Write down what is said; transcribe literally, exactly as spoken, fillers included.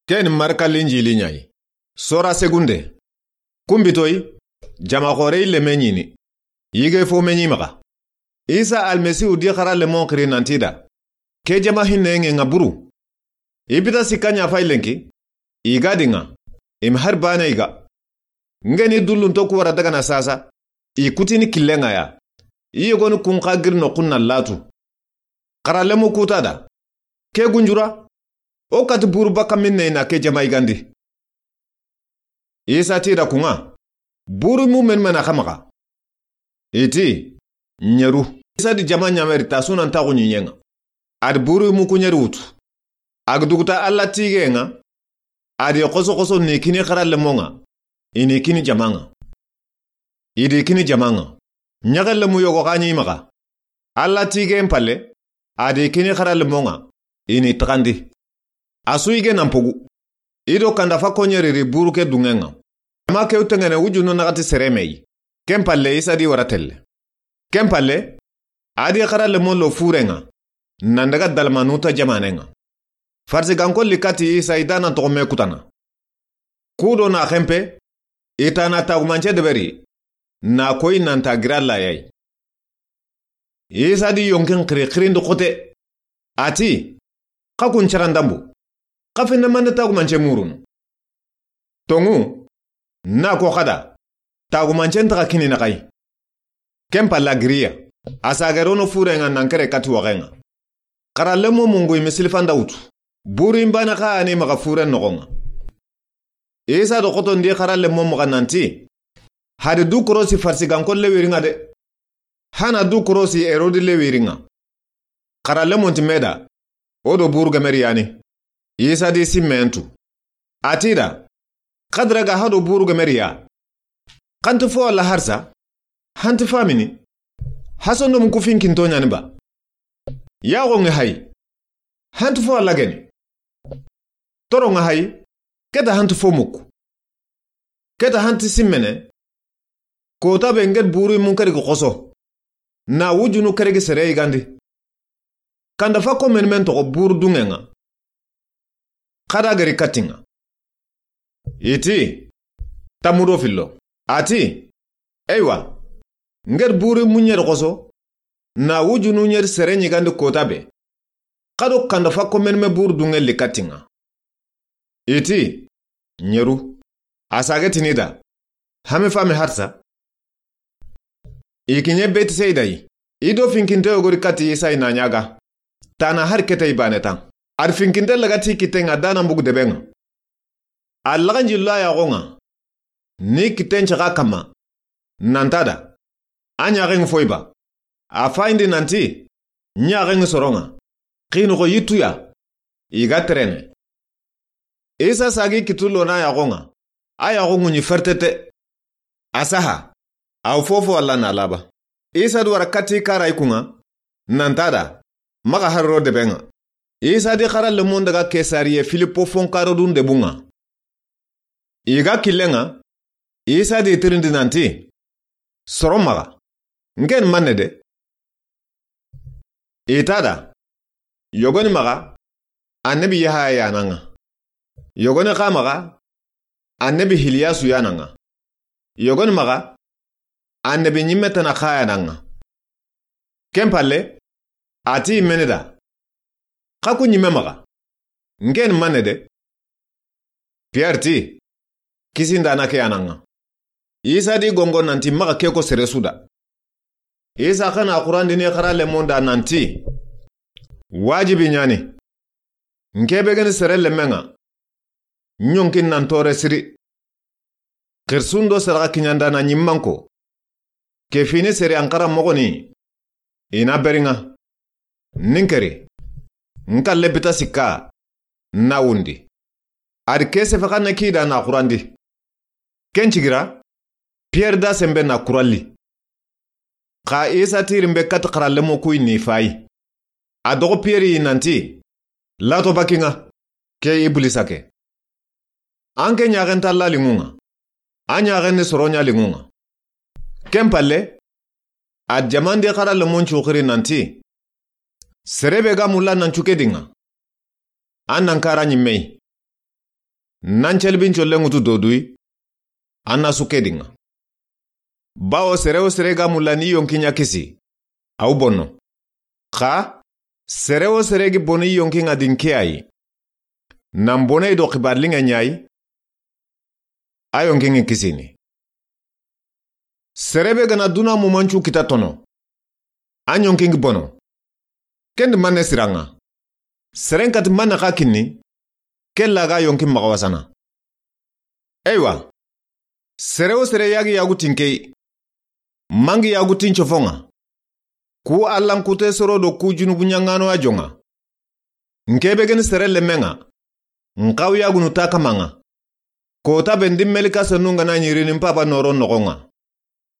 Ken Marka Linjili ɲa yi. Sora segunde. Kunbitoyi, jama xoore yi leme ɲini. Yige fo me ɲi maxa. Isa Almasihu di xara lemon xiri nanti da: Ke jama hinne ŋe ŋa buru. I bita sikka ɲa fay lenki. I ga di ŋa. I ma hari baane i ga. Ŋeni dullunto ku wara dagana sasa. I kutini killen ŋa ya. I yogoni kun xa giri noxun na latu. Xara lemu kuta da: Ke gunjura, o kati buru baka minne na ke jama yigandi. Isa ti da kun ŋa: Buru mu men mena xa maxa? I ti: Ɲeru. Isa di jama ɲameri ta sunan taxu ɲiɲen ŋa. A di buru mu ku ɲeri wutu. A ga duguta Alla tige ŋa. A di xoso xoso ni kini xara lemon ŋa. I ni kini jama ŋa. I di kini jama ŋa. Ɲaxe lemu yogo xa ɲi maxa. Alla tigen palle, a di kini xara lemon ŋa. I ni taxandi. A su yige nan pogu. I do kanda fa ko ɲeri ri buru ke duŋen ŋa. Jama ke wutengene wujunu naxati sere me yi. Ken palle Isa di wara telle. Ken palle, a di xara lemon lo furen ŋa, nan daga Dalmanuta jamanen ŋa. Farisiganko li kati Isa i da nan toxo me kutana. Ku do na xenpe, i ta na tagumance deberi, na koyi nan ta gira layayi. Isa di yonkin xiri xirindi xote. A ti: Xa kun carandambu. Xa finne mande tagumance murunu. Toŋu, na ko xada, tagumancen taxa kini naxayi. Ken palla giriya, a sagerono furen ŋa nan kere kati waxen ŋa. Xara lemo mungu i misilifanda wutu. Buru in bane xa ani maxa furen noxon ŋa. Isa do xotondi xara lemo maxa nanti: Hadi du korosi Farisiganko lewirin ŋa de. Hana du korosi Herodi lewirin ŋa. Xara lemonti me da: O do buru gemeri yani. Isa di simmentu. A ti da: Xadira ga hado buru gemeri ya. Xanti fo Alla harsa? Hanti famini? Hasondo mu ku finkinto ɲani ba? Yaxo ŋe hay. Hanti fo Alla geni. Toro ŋa hay. Keta hanti fo muku. Keta hanti simmene. Kota be ŋet buru mun kari xoso. Na wujunu kere gi sere yigandi. Kanda fa ko men men toxo buru duŋen ŋa. Xada gari katin ŋa. I ti: Tamudo fillo. A ti: Eywa, ŋet buru mu ɲeri xoso, na wujunu ɲeri sere ɲigandi kota be. Xado kanda fa ko men me buru duŋen li katin ŋa. I ti: Ɲeru. A sage tini da: Hame fami harsa? I kiɲe Betisayida yi. I do finkinte yogori kati Isa i na ɲaga. Tana hari kete i bane tan. Ari finkinte lagati kitten ŋa dana mbugu deben ŋa. A laganji lo a yaxon ŋa. Ni kitten caxa kamma. Nanta da: A ɲaxen foyi ba? A fayindi nanti: Ɲaxen soron ŋa. Xinoxo yittuya. I ga terene. Isa sagi kitu lona yaxon ŋa. A yaxon ŋuɲi fertete. A saha. Aw fofo Alla na laba. Isa du wara kati kara i kun ŋa. Nanta da: Maxa harro deben ŋa. Isa di xara lemon daga Kesariye Filipo fonkaro dun debun ŋa. I ga killen ŋa, Isa di tirindi nanti: Soro maxa. Ŋen manne de? I ta da: Yogoni maxa, annabi Yahaya ya nan ŋa. Yogoni xa maxa, annabi Hiliyasu ya nan ŋa. Yogoni maxa, annabi ɲimme tana xa ya nan ŋa. Ken palle, a ti i mene da: Xa ku ɲimme maxa. Ŋen manne de? Pierre ti: Kisindana ke ya nan ŋa. Isa di gongo nanti maxa ke ko sere su da. Isa xa na xurandini xara lemon da nanti: Wajibi ɲani. Nke be geni sere lemen ŋa, ɲonkin nan tore siri. Xirsun do saraxa kiɲandana ɲimmanko, ke fini sere an xara moxoni, i na beri ŋa. Ninkeri, nkalle bita sikka, na wundi. Ari ke sefe xa ne kida na xurandi. Ken cigira, Pierre da sembe na kuralli. Xa Isa tirin be kati xara lemo kuyi ni fayi. A doxo Pierre yi nanti: Lato bakin ŋa, ke Iblisa ke. An ke ɲaxen ta la linŋun ŋa. A ɲaxen ni soro ɲa linŋun ŋa. Ken palle, a jamandi xara lemon cuxiri nanti: Sere be ga mulla nan cuke dinŋa, an nan kara ɲimme yi. Nan celibin collen ŋutu doduyi, an na su ke di ŋa. Bawo sere wo sere ga mulla ni yonki ɲa kisi, aw bono. Xa, sere wo sere gi boni yonki ŋa din ke ayi. Nan boney do xibaar liŋe ɲayi, a yonki ŋi kisini. Sere be gana duna mumancu kita tono, a ɲonki ŋi bono. Kendi manne siraŋa. Seren kati manne xa kinni, ke laga yonki maxa wasana. Eywa, sere wo sere yagi yagu tinkey, mangi yagu tin cofoŋa. Ku Allan kute soro do ku junubu ɲaŋano a joŋa. Nke be geni sere lemmeŋa, nxaw yagunu ta kamaŋa. Kota be ndi melika senu ŋana ɲirini mpaba noro noxoŋa.